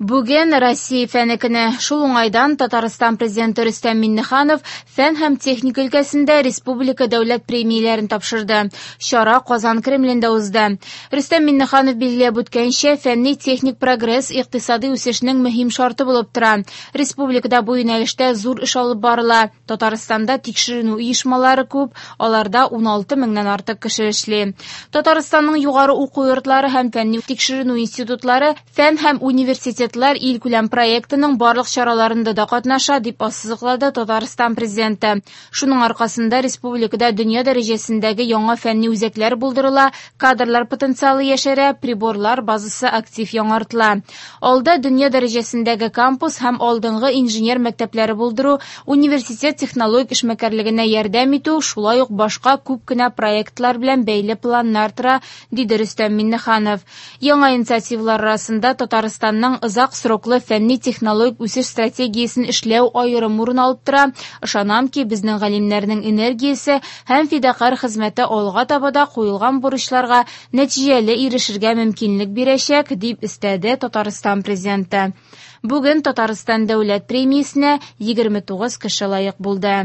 Бүген Россия фәне көне. Шул уңайдан Татарстан Президенты Рөстәм Миңнеханов фән һәм техника өлкәсендә республика дәүләт премияләрен тапшырды. Чара Казан Кремлендә узды. Рөстәм Миңнеханов билгеләп үткәнчә, фәнни-техник прогресс икътисади үсешнең мөһим шарты булып тора. Республикада бу юнәлештә зур эш алып барыла. Татарстанда тикшеренү оешмалары күп, аларда 16 меңнән артык кеше эшли. Татарстанның югары уку йортлары һәм фәнни тикшеренү институтлары Фән һәм университетлар илкүләм проектының барлык чараларында да катнаша, дип ассызыклады Татарстан Президенты. Шуның аркасында республикада дөнья дәрәҗәсендәге яңа фәнни үзәкләр булдырыла, кадрлар потенциалы яшәрә, приборлар базасы актив яңартыла. Алда дөнья дәрәҗәсендәге кампус һәм алдынгы инженер мәктәпләре булдыру, университет технологик эшмәкәрлегенә ярдәм итү, шулай ук башка күп кенә проектлар белән бәйле планнар тора, диде Рөстәм Миңнеханов. Яңа инициативалар арасында Татарстанның озак сроклы фәнни-технологик үсеш стратегиясен эшләү аерым урын алып тора. Ышанам ки, безнең галимнәрнең энергиясе һәм фидакарь хезмәте алга таба да куелган бурычларга нәтиҗәле ирешергә мөмкинлек бирәчәк, дип өстәде Татарстан Президенты. Бүген Татарстан Дәүләт премиясенә 29 кеше лаек булды.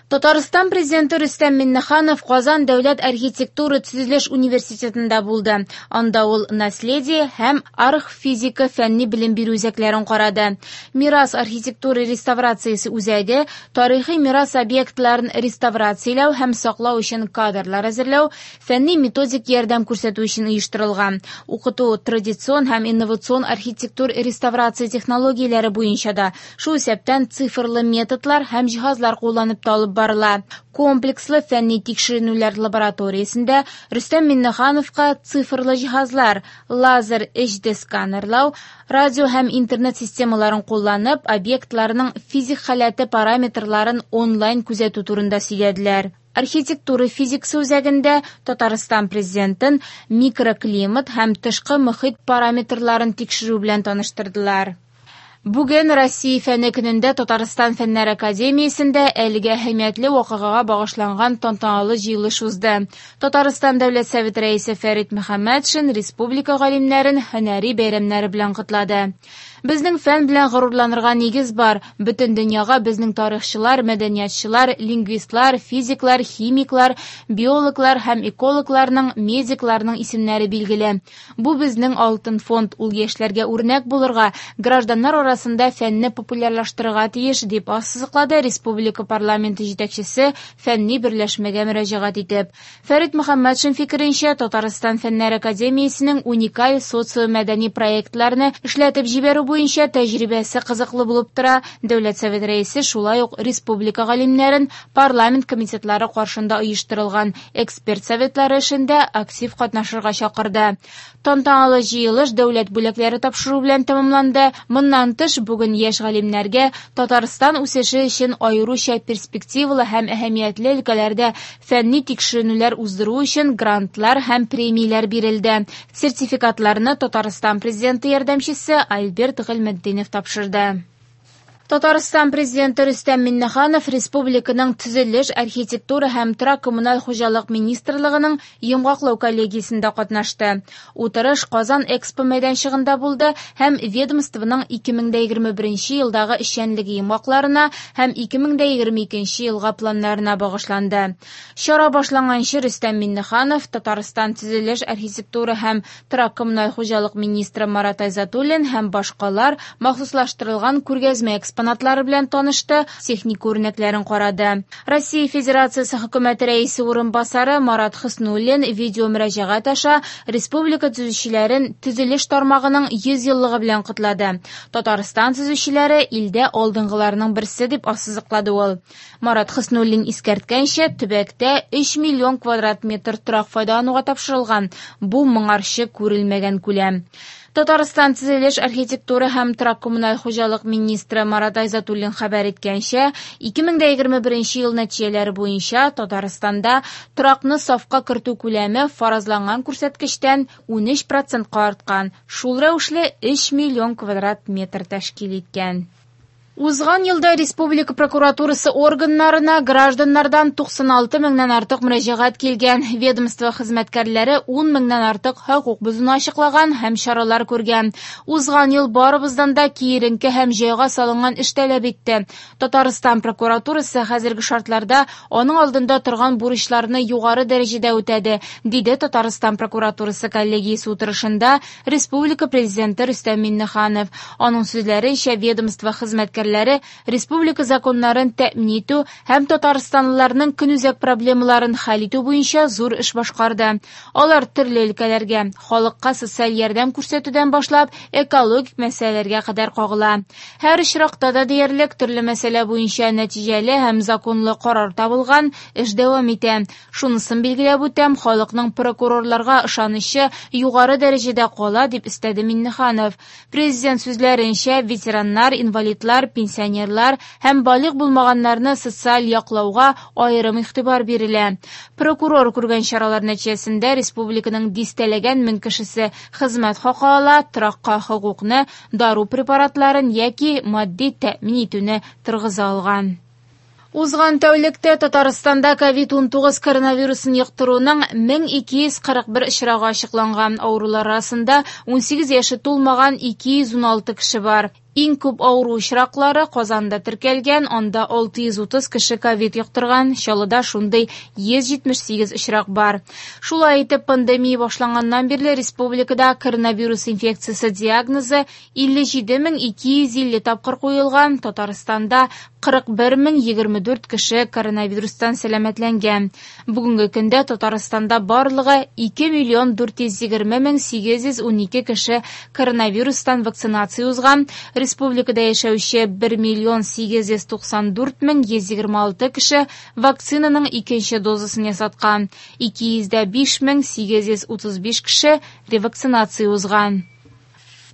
Татарстан Президенты Рөстәм Миңнеханов Казан дәүләт архитектура-төзелеш университетында булды. Анда ул Наследие һәм Архфизика фәнни белем бирү үзәкләрен карады. Мирас архитектура реставрациясе үзәге тарихи мирас объектларын реставрацияләү һәм саклау өчен кадрлар әзерләү, фәнни-методик ярдәм күрсәтү өчен оештырылган. Укыту традицион һәм инновацион архитектур реставрация технологияләре буенча да, шул исәптән цифрлы методлар һәм җиһазлар кулланып та алып барыла. Комплекслы фәнни тикшеренүләр лабораториясендә Рөстәм Миңнехановка цифрлы җиһазлар, лазер HD сканерлау, радио һәм интернет системаларын кулланып, объектларның физик халәте параметрларын онлайн күзәтү турында сөйләделәр. Архитектура физикасы үзәгендә Татарстан Президентын микроклимат һәм тышкы мохит параметрларын тикшерү белән таныштырдылар. Бүген Россия фәне көнендә Татарстан Фәннәр академиясендә әлеге әһәмиятле вакыйгага багышланган тантаналы җыелыш узды. Татарстан Дәүләт Советы Рәисе Фәрит Мөхәммәтшин республика галимнәрен һөнәри бәйрәмнәре белән котлады. Безнең фән белән горурланырга нигез бар. Бөтен дөньяга безнең тарихчылар, мәдәниятчылар, лингвистлар, физиклар, химиклар, биологлар һәм экологларның, медикларның исемнәре билгеле. Бу безнең алтын фонд, ул яшьләргә үрнәк булырга, гражданнар арасында фәнне популярлаштырырга тиеш, дип ассызыклады республика парламенты җитәкчесе фәнни берләшмәгә мөрәҗәгать итеп. Фәрит Мөхәммәтшин фикеренчә, Татарстан Фәннәр академиясенең уникаль социомәдәни проектларны эшләтеп җибәрү буенча тәҗрибәсе кызыклы булып тора. Дәүләт Советы Рәисе шулай ук республика галимнәрен парламент комитетлары каршында оештырылган эксперт советлары эшендә актив катнашырга чакырды. Тантаналы җыелыш дәүләт бүләкләре тапшыру белән тәмамланды. Моннан тыш, бүген яшь галимнәргә Татарстан үсеше өчен аеруча перспективалы һәм әһәмиятле өлкәләрдә фәнни тикшеренүләр уздыру өчен грантлар һәм премияләр бирелде. Сертификатларны Татарстан Президенты ярдәмчесе Альберт Гыйльметдинов тапшырды. Татарстан Президенты Рөстәм Миңнеханов республиканың Төзелеш, архитектура һәм торак-коммуналь хуҗалык министрлыгының йомгаклау коллегиясендә катнашты. Утырыш Казан Экспо мәйданчыгында булды һәм ведомствоның 2021 елдагы эшчәнлеге йомгакларына һәм 2022 елга планнарына багышланды. Чара башланганчы Рөстәм Миңнеханов Татарстан Төзелеш, архитектура һәм торак-коммуналь хуҗалык министры Марат Айзатуллин һәм башкалар махсуслаштырылган күргәзмә экспонатлары белән танышты, техник үрнәкләрен карады. Россия Федерациясе хөкүмәте рәисе урынбасары Марат Хөснуллин видео мөрәҗәгать аша республика төзүчеләрен төзелеш тармагының 100 еллыгы белән котлады. Татарстан төзүчеләре илдә алдынгыларның берсе дип ассызыклады ул. Марат Хөснуллин искәрткәнчә, төбәктә 3 миллион квадрат метр торак файдалануга тапшырылган. Бу моңарчы күрелмәгән күләм. Татарстан төзелеш, архитектура һәм торак-коммуналь хуҗалык министры Марат Айзатуллин хәбәр иткәнчә, 2021 ел нәтиҗәләре буенча Татарстанда торакны сафка кертү күләме фаразланган күрсәткечтән 13 процентка арткан, шул рәвешле 3 миллион квадрат метр тәшкил иткән. Узган елда республика прокуратурасы органнарына гражданнардан 96 меңнән артык мөрәҗәгать килгән. Ведомство хезмәткәрләре 10 меңнән артык хокук бозуны ачыклаган һәм чаралар күргән. Узган ел барыбыздан да киеренке һәм җайга салынган эш таләп итте. Татарстан прокуратурасы хәзерге шартларда аның алдында торган бурычларны югары дәрәҗәдә үтәде, диде Татарстан прокуратурасы коллегиясе утырышында республика президенты Рөстәм Миңнеханов. Аның сүзләренчә, ведомство хезмәткәрләре республика законнарын тәэмин итү һәм татарстанлыларның көнүзәк проблемаларын хәл итү буенча зур эш башкарды. Алар төрле өлкәләргә, халыкка социаль ярдәм күрсәтүдән башлап, экологик мәсьәләләргә кадәр кагыла. Һәр очракта да диярлек төрле мәсьәлә буенча нәтиҗәле һәм законлы карар табылган, эш дәвам итә. Шунысын билгеләп үтәм, халыкның прокурорларга ышанычы югары дәрәҗәдә кала, дип өстәде Миңнеханов. Президент сүзләренчә, ветераннар, инвалидлар, пенсионерлар һәм балигъ булмаганнарны социаль яклауга аерым игътибар бирелә. Прокурор күргән чаралар нәтиҗәсендә республиканың дистәләгән мең кешесе хезмәт хакы ала, торакка хокукны, дару препаратларын яки матди тәэмин итүне торгыза алган. Узган тәүлектә Татарстанда ковид-19 коронавирусын йоктыруның 1241 очрагы ачыкланган. Авырулар арасында 18 яше тулмаган 216 кеше бар. Иң күп авыру очраклары Казанда теркәлгән, анда 630 кеше ковид йоктырган, Чаллыда шундый 178 очрак бар. Шулай итеп, пандемия башланганнан бирле республикада коронавирус инфекциясе диагнозы 57250 тапкыр куелган, Татарстанда 41024 кеше коронавирустан сәламәтләнгән. Бүгенге көндә Татарстанда барлыгы 2 420 812 кеше коронавирустан вакцинация узган. Республикада яшәүче 1 894 126 кеше вакцинаның икенче дозасын ясаткан. 205 835 кеше ревакцинация узган.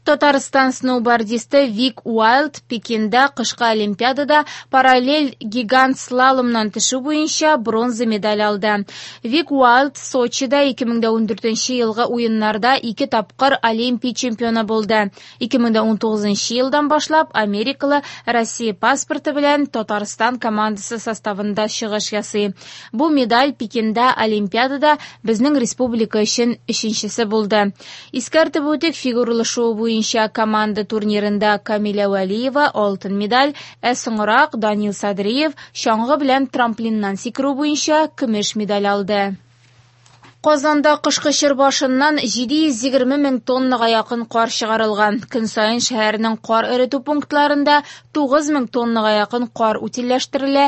Татарстан сноубордисты Вик Уайлд Пекинда кышкы Олимпиадада параллель гигант слаломнан төшү буенча бронза медаль алды. Вик Уайлд Сочида 2014 елгы уеннарда ике тапкыр Олимпия чемпионы булды. 2019 елдан башлап америкалы Россия паспорты белән Татарстан командасы составында чыгыш ясый. Бу медаль Пекинда Олимпиадада безнең республика өчен өченчесе булды. Искәртеп үтик, фигуралы шуу буенча команда турнирында Камилә Вәлиева алтын медаль, ә соңрак Данил Садриев чаңгы белән трамплиннан сикерү буенча көмеш медаль алды. Казанда кышкы чор башыннан 720 мең тоннага якын кар чыгарылган. Көн саен шәһәрнең кар эретү пунктларында 9 мең тоннага якын кар утильләштерелә,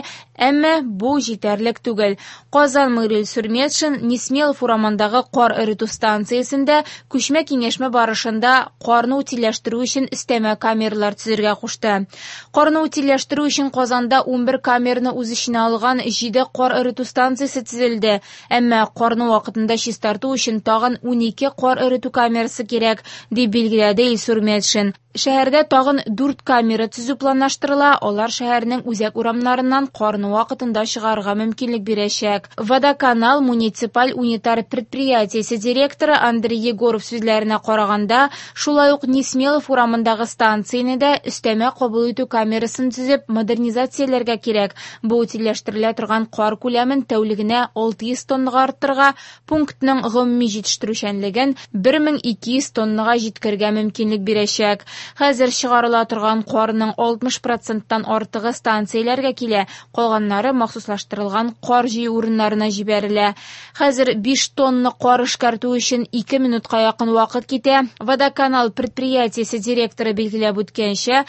әмма бу җитәрлек түгел. Казан мэры Илсур Метшин Несмелов урамындагы кар эретү станциясендә күчмә киңәшмә барышында карны утильләштерү өчен өстәмә камералар төзергә кушты. Карны утильләштерү өчен Казанда 11 камераны үз эченә алган 7 кар эретү станциясе төзелде, әмма карны вакытында чистарту өчен тагын 12 кар эретү камерасы кирәк, дип билгеләде Илсур Метшин. Шәһәрдә тагын 4 камера төзү планлаштырыла, алар шәһәрнең үзәк урамнарыннан карны вакытында чыгарырга мөмкинлек бирәчәк. Водоканал муниципаль унитар предприятиесе директоры Андрей Егоров сүзләренә караганда, шулай ук Несмелов урамындагы станцияне дә өстәмә кабул итү камерасын төзеп модернизацияләргә кирәк. Бу утильләштерелә торган кар күләмен тәүлегенә 600 тоннага арттырырга, пунктның гомуми җитештерүчәнлеген 1200 тоннага җиткерергә мөмкинлек бирәчәк. Хәзер чыгарыла торган карның 60%-тан артыгы станцияләргә килә, калганнары махсуслаштырылган кар җыю урыннарына җибәрелә. Хәзер 5 тонна кар эшкәртү өчен 2 минутка якын вакыт китә. Водоканал предприятиесе директоры билгеләп үткәнчә,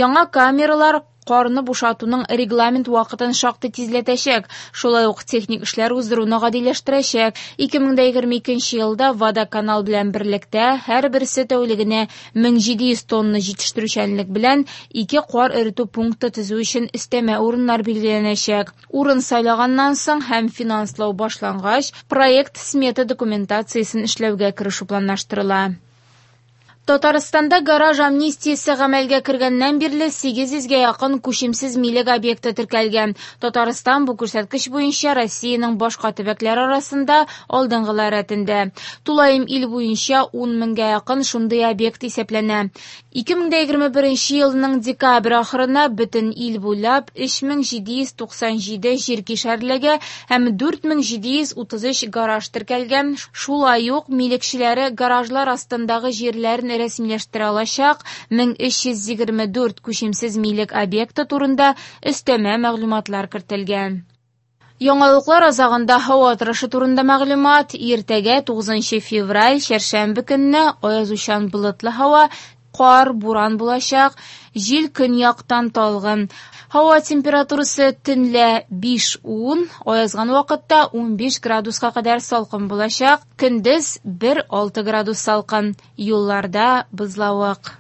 яңа камералар карны бушатуның регламент вакытын шактый тизләтәчәк, шулай ук техник эшләр уздыруны гадиләштерәчәк. 2022 елда Водоканал белән берлектә һәрберсе тәүлегенә 1700 тонна җитештерүчәнлек белән 2 кар эретү пункты төзү өчен өстәмә урыннар билгеләнәчәк. Урын сайлаганнан соң һәм финанслау башлангач, проект смета документациясен эшләүгә керешү планлаштырыла. Татарстанда гараж амнистиясе гамәлгә кергәннән бирле 800 гә якын күчемсез милек объекты теркәлгән. Татарстан бу күрсәткеч буенча Россиянең башка төбәкләре арасында алдынгылар рәтендә. Тулаем ил буенча 10 меңгә якын шундый объект исәпләнә. 2021 елның декабрь ахырына бөтен ил буйлап 3797 җир кишәрлеге һәм 4733 гараж теркәлгән. Шулай ук милекчеләре гаражлар астындагы җирләрен рәсмиләштерә алачак 1324 күчемсез милек объекты турында өстәмә мәгълүматлар кертелгән. Яңалыклар азагында һава торышы турында мәгълүмат. Иртәгә 9 февраль, чәршәмбе көнне аязучан болытлы һава, кар, буран булачак, җил көньяктан талгын. Һава температурасы төнлә 5-10, аязган вакытта 15 градуска кадәр салкын булачак, көндез 1-6 градус салкын. Юлларда бозлавык.